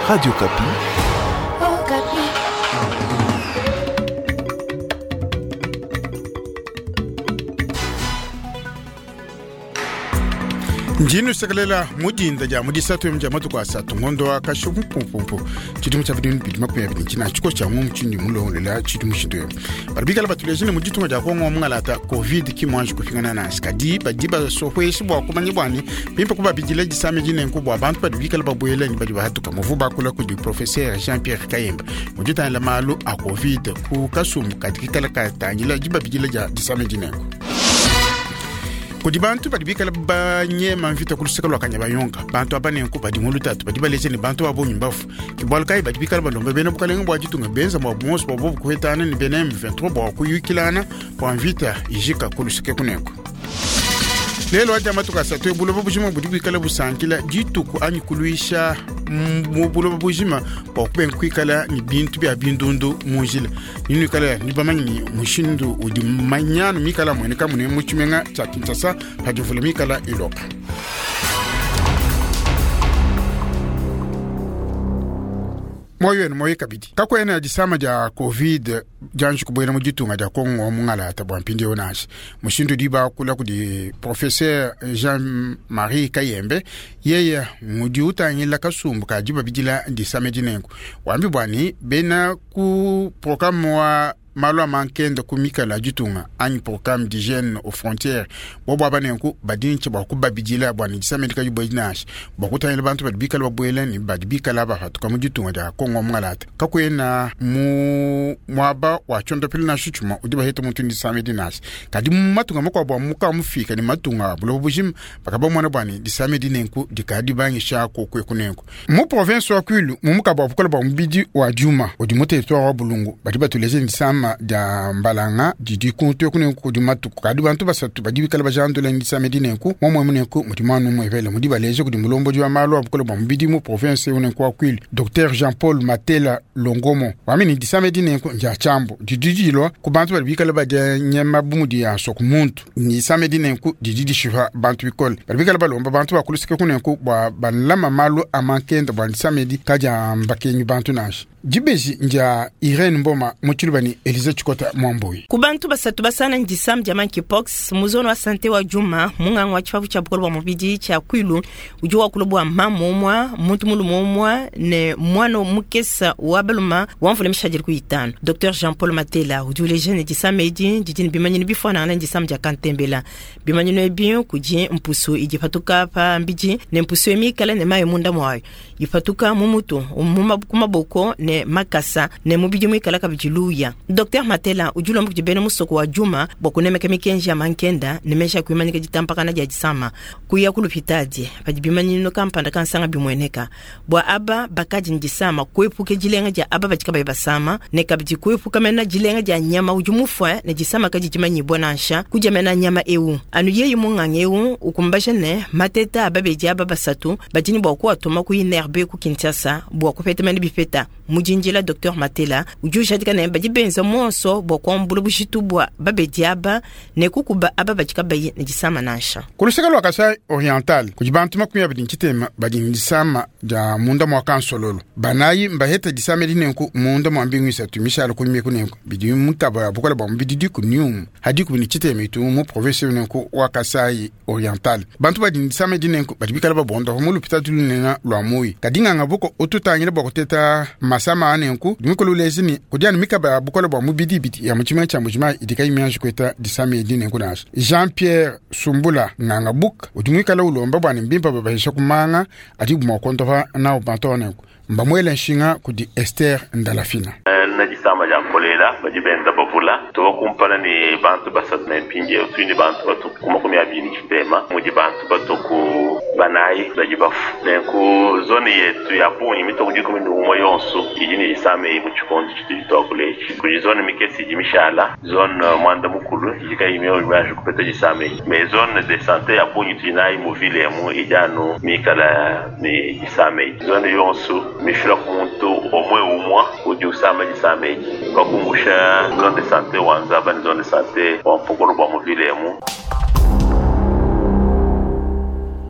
Radio Okapi. Okapi. Njinu sakalela mudinda ja mudisatu mja matuku asatu ngondo wa kashu mpumpumpu tshidimu tshia bidimu bidi 20 tshina tshiko tshia mu mutshindi mulongolela tshidimu tshintu badi bikala batulejile mu ditunga dia Kongo mungalata covid ki mwanji kupingana nasi kadi badi basohweshi bua kumanya bwani bimpe kubabidila disame dinenku bua bantu badi bikala babuela ni badi bahatuka muvu bakula kudi professeur Jean Pierre Kayemba muditangila malu a covid ku kasumbu kadi kikala katangila dibabidila dia disame dinenku kudi bantu badi bikala banyema mvita ku luseke lua Kanyabayonga. Bantu aba nenku badi mu lutatu, badi baleja ne bantu ba bungi mbafu. Ke bualu kayi badi bikala balomba bena bukalenge bua ditunga benza bua buonso bua bobu kuhetana ne bena M23 bua kuyukilana bua mvita ijika ku luseke kunenku. Lelo adi matuku asatu buloba bujima budi buikala busankila dituku anyi kuluisha mu buloba bujima bua kubenga kuikala ne bintu bia bindundu mu njila. Ninuikala ni bamanyi ni mushindu udi manyanu mikala mueneka mune mu tshimenga tshia Kinshasa padi mvula mikala iloka. Moyo wenu moyo kabidi kakwena disama dia covid dianji kubuela mu ditunga dia Kongo mungalata bua mpindieu nansha mushindu di bakula kudi professeur Jean-Marie Kayembe yeye ngudi utangila kasumbu ka dibabidila disame dinenku wambi bwani bena ku programme wa malu a mankenda ku mikala ditunga anyi programme d'hygiène aux frontières bobo aba nenku badi ntshi bua kubabidila bua ne disame dikadi buedi nansha bua kutangila bantu badi bikala babuela ne badi bikala bapatuka mu ditunga dia Kongo mungalata kakuena mu muaba wa tshondopelo nansha tshuma udi baheta muntu disame di nansha kadi mu matunga makuabu a muka mufika ne matunga a buloba bujima bakabamona bua ne disame di nenku dikadi bangisha kokweku nenku mu province wa Kwilu mu mukaba wa bukola bua mubidi wa Djuma udi mu territoire wa Bulungu badi batuleje disama dia mbalanga didi kuntu eku kudi matuku kadi bantu basatu badi bikala bajandula disame dinenku momwe munenku mudi mwanu mwevele mudi baleje kudi mulombodi wa malu a bukole bua mubidi mu province unenku wa Kwilu Dr Jean-Paul Matela Longomo wamini disame dinenku ndia tshiambu didi dilua ku bantu badi bikala badia nyama bu mudi ya nsoku muntu disame dinenku didi dishipa bantu bikole badi bikala balomba bantu bakulusike kunenku bua balama malu a mankenda bua disame di kadia mbakenyi bantu nansha dibeji ndia Irene Mboma mutshiluba ni Elise Tshikota Mwamboi. Ku bantu basatu basana ndisam dia monkeypox mu zone wa sante wa Djuma munganga wa tshipapu tshia bukole bua mubidi tshia Kwilu udi wakula bua mama umua muntu mulume umua ne mwana mukesa wa baluma wa mvula mishadile ku itanu. Dr Jean-Paul Matela udi uleja ne disama edi didi ne bimanyinu bifuanangana ne disama dia kantembela. Bimanyinu ebi kudi mpusu idi ipatuka pa mbidi ne mpusu emikala ne mayi munda muayo ipatuka mu mutu ku maboko ne makasa ne mubidi muikala kabidi luya. Dr Matela udi ulomba kudi bena musoko wa Djuma bua kunemeka mikenji ya mankenda ne mesha kuimanyika ditampakana dia disama kuya ku lupitadi padi bimanyinu kampanda kansanga bimueneka bua aba bakadi ne disama kuepuka dilenga dia aba badi kabayi basama ne kabidi kuepuka mena dilenga dia nyama udi mufue ne disama kadi dimanyibua nansha kudia mena nyama eu anu yeye munganga eu ukumbasha ne mateta aba bedi aba basatu badi ne bua kuatuma ku INRB ku Kinshasa bua kupeta mena bipeta. Mujinjila Dr Matela udi ujadika ne badi benza monso bua kuambula bushitu bua babedi aba ne kukuba aba badi kabayi ne disama nansha. Ku luseke lua Kasai Oriental kudi bantu 20 ntshitema badi ne disama dia munda mua kansololo banayi mbaheta disama dinenku munda mua mbingu isatu mishala kunyima kunenku bidi mutaba ya bukola bua mubidi diku niumu hadiku ne tshitema itu mu province unenku wa Kasai Oriental bantu badi ne disama dinenku badi bikala babonda mu lupitadi lunene lua Mui kadi nganga buko ututangile bua kuteta masama anenku dimikolo lezini kudiana mikaba ya bukola bua mubidi biti ya mutshimenga tshia Mbuji-Mayi idi kayi mianji kueta disama edi nenku nansha. Jean-Pierre Sumbula nganga buka udi muikala ulomba bua ne mbimpa babahisha kumanga adi bua kuondopa nawu bantu anenku mbamuele nshinga kudi Esther Ndalafina. Na disama dia kolela badi benza bavula tubakumpana ne bantu basatu ne mpindieu tuli ne bantu batu ku 23 mudi bantu batu ku banayi badi bafu nenku zone yetu ya bungi mitoko 11 yonso idi ne disama eyi mu tshikondo tshitudi tuakula etshi kudi zone mikese idi mishala zone mwanda mukulu idi kayi mianji kupeta disama eyi mais zone de santé ya bungi tudi nayi mu ville emu idi anu mikala ne disama eyi zone yonso mifila ku muntu omwe umwa udi usama disama eyi bakumbusha zone de santé wa Nzaba ne zone de santé wa Mpokolo bua mu ville emu.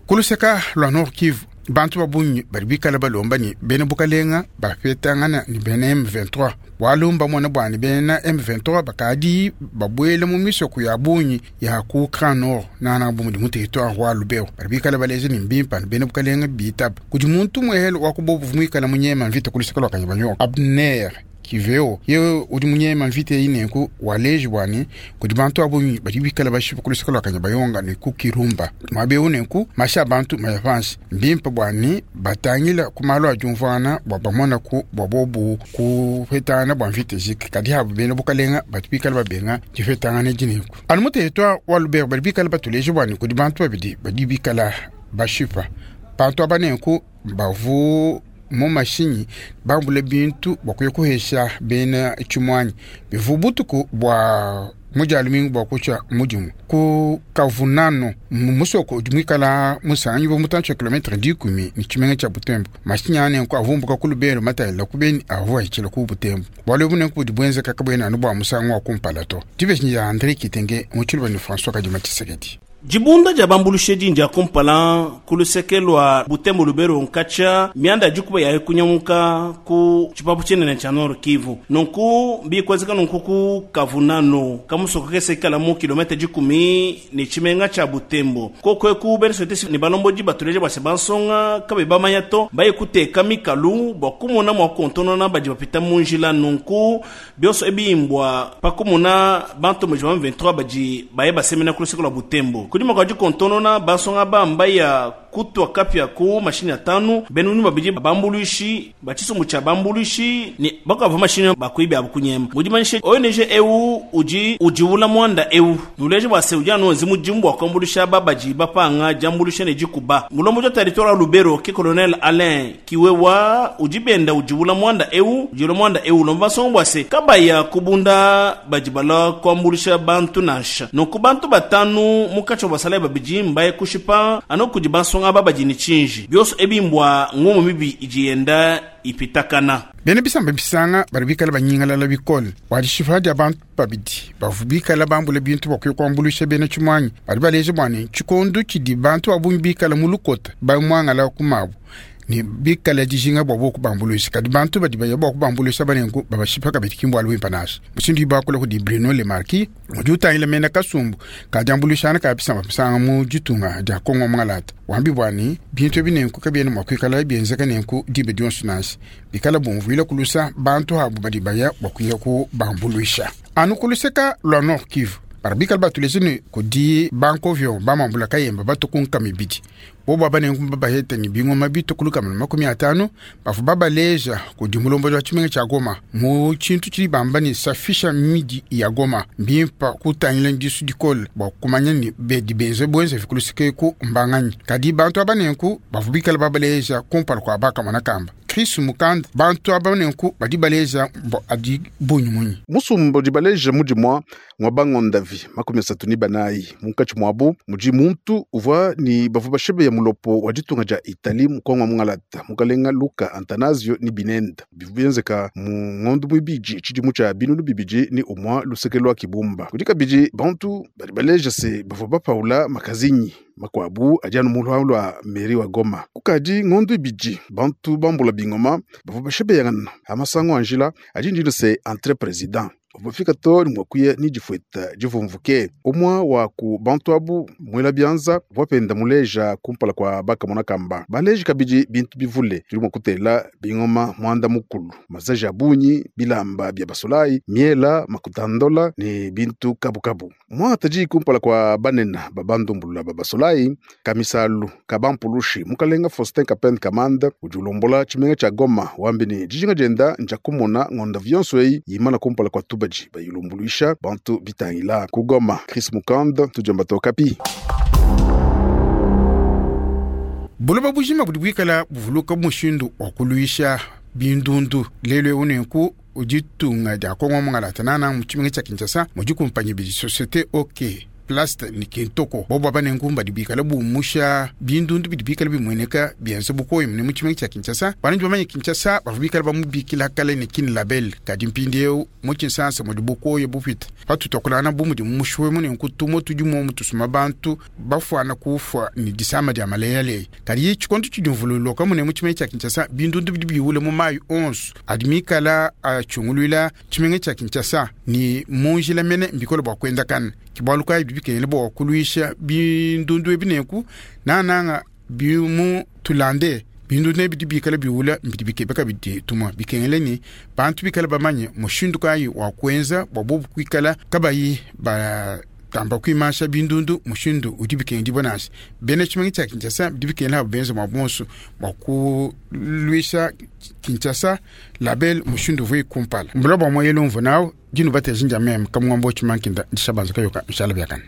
Kuluseka lwa Nord Kivu. Bantu ba bungi badi bikala balomba ne bena bukalenga bapetangana ne bena M23 bualu mbamona bua ne bena M23 bakadi babuela mu misoko ya bungi ya ku Grand Nord nana bu mudi mu territoire wa Lubero. Badi bikala baleja ne mbimpa ne bena bukalenga bitaba kudi muntu muhele wa kubobu muikala munyema mvita kuluseka lua Kanyabayonga Abner Kiveo ye udi munyema mvita eyi nenku waleji bua ne kudi bantu abungi badi bikala bashipa kuluseka lua Kanyabayonga ne ku Kirumba muaba nenku mashi a bantu maya panshi mbimpe bua ne batangila ku malu a diumvuana bua bamona ku bua bobu kupetangana bua mvita ijike kadi abu bena bukalenga badi bikala babenga dipetangana edi nenku anu mu territoire wa Lubero badi bikala batuleja bua ne kudi bantu babidi badi bikala bashipa bantu aba nenku bavu mu mashinyi bambule bintu bua kuya kuhesha bena tshimuanyi bivu butuku bua mudialumingu bua kutshia mudimu ku kavunano mu musoko udi muikala musangi bu mutantshi wa kilometre 10 ne tshimenga tshia Butembo. Mashinyi aa nenku avumbuka ku Lubero matayila ku Beni avua ahitshila ku Butembo. Bualu ebu nenku budi buenzeka kabuena anu bua musangu wa kumpala to. Dibeji dia Andre Kitenge mu tshiluba ne François Kadima Tshisekedi. Dibunda dia bambulushedi ndia kumpala ku luseke lua Butembo Lubero nkatshia mianda ya dikuba ya kunyamuka ku tshipapu tshinene tshia Nord Kivu. Nunku bikwenzeka nunku ku Kavunano kamusoko kese kala mu kilometre 10 ne tshimenga tshia Butembo. Koko eku bena société ne balombodi batuleje bua se bansonga kabe bamanya to baye kuteka mikalu bua kumona mua kontonona badi bapita mu njila. Nunku bionso ebimbwa pakumona bantu mu 23 badi baye basemena ku luseke lua Butembo. Kudi mwaka kontonona bansonga bamba ya kutwa kapya ku mashini ya tanu benu ni babidi bambuluishi batshisumbu tshia bambuluishi ni bakava mashini bakuibi abu kunyema mudimanyishe ONG eu udi udiwula mwanda eu nuleje bua se udi anu nzimu jimbu akambulisha babaji bapanga jambulisha ne jikuba mulombo ja territoire Lubero ke colonel Alain Kiwewa udi benda udiwula mwanda eu udiwula mwanda eu lomba songo bua se kabaya kubunda bajibala kuambulisha bantu nansha nunku bantu batanu mukacho basala babidi mbaye kushipa ano kudi bansonga babaji ni chinji byoso ebimbwa ngomo mibi ijienda ipitakana. Bena bisamba bisanga bari bikala banyingalala bikole bua dishipa dia bantu babidi bavu bikala bambula bintu bakwiye kuambuluisha bena tshimuanyi badi baleja bua ne tshikondo tshidi bantu babungi bikala mu lukota bamuangala ku mabu ne bikala dijinga bua bo kubambuluisha kadi bantu badi baya bua kubambuluisha banenku babashipa kabidi kimbu alu wimpa nasha mushindu ibakula kudi Bruno Le Marquis udi utangila mena kasumbu kadiambuluishana ka bisamba bisanga mu ditunga dia Kongo Mwangalata wambi bua ne bintu ebi nenku kabiena mua kuikala bienzeka nenku dibe dionso nansha bikala bumvuila kulusa bantu abu badi baya bua kuya kubambuluisha anu kuluseka lua Nord Kivu bari bikala batulese ne kudi bankovyo bamambula kayemba batukunka mibidi bobo abanenku babaheta ni bingoma bitukuluka mu 50 bafu babaleja kudi mulombo wa tshimenga tshia Goma mu tshintu tshidi bamba ni safisha midi ya Goma mbimpa kutangila ndisu dikole bua kumanya ni bedi benze bwenze fikulusike ku mbanganyi kadi bantu abanenku bafu bikala babaleja kumpala kwa bakamona kamba Chris Mukand bantu abanenku badi baleja mbo adi bunyi munyi musumba udi baleja mudi mwa mwabangondavi 34 munkatshi mwabu mudi muntu uvua ni bavu bashebeya mulopo wa ditunga dia Itali mukongo mungalata mukalenga Luka Antanasio ni binenda bivu bienzeka mu ngondo muibidi tshidimu tshia binunu bibidi ni umwa luseke lwa Kibumba kudi kabidi bantu badi baleja se bavua bapaula makazinyi makwabu adi anu mulwa lwa meri wa Goma kukadi ngondo ibidi bantu bambula bingoma bavua bashebeyangana amasango anjila adi ndino se entre president bafika to ni mwakuya ni difueta divumvuke umwa wa ku bantu abu mwela bianza wapenda muleja kumpala kwa bakamona kamba baleji kabidi bintu bivule tuli mwa kutela bingoma mwanda mukulu mazaji abunyi bilamba bya basolai miela makutandola ni bintu kabukabu mwa taji kumpala kwa banena babandumbulula babasolai kamisalu kabampulushi mukalenga Faustin Kapend Kamanda udi ulombola tshimenga tshia Goma wambi ni dijinga dienda nja kumona ngonda vionso eyi yimana kumpala kwa tuba bayilumbuluisha bantu bitangila ku Goma. Chris Mukanda tujamba tokapi. Buloba bujima budi bwikala buvuluka mushindu wa kuluisha bindundu lelo unenku uditunga dia Kongo Mwangalata nana mu tshimenga tshia Kinshasa mudi kumpanyi bidi société OK Plast ne Kintoko. Bobo aba nenku badi bikale bumusha bindundu bidi bikale bimueneka bienza bukoyi mune mu tshimenga tshia Kinshasa. Bantu bamanye Kinshasa bavua bikale bamubikila kale ne Kin Label, kadi mpindieu mu Tshinsansa mudi bukoyi bupite. Patutuakulana bu mudi mushuwe mu nenku tumo tudi muomu tusuma bantu bafuana kufua ne disama dia maleyaleya. Kadi tshikondo tshidi mvululuka mune mu tshimenga tshia Kinshasa, bindundu bidi biwule mu mayi onso adi mikala atshunguluila tshimenga tshia Kinshasa ni mu njila mene mbikole bua kuendakana. Ke bualu kayi bidi bikengela bua kuluisha bindundu ebi nenku nananga bimu tulande bindundu ebi bidi bikale biwula mbidi bikebe kabidi tumua bikengela ni bantu bikale bamanye mushindu kayi wa kuenza bua bobu kuikala kabayi ba tamba kuimasha bindundu mushindu udi bikengedibua nansha. Bena tshimenga tshia Kinshasa bidi bikengela abo benza mua bonso bua kuluisha Kinshasa label mushindu uvua kumpala. Mbula bua moyelo mvu nawu dinu bateji ndia meme kamungombo tshimankinda ndishabanza kayoka nshala biakana.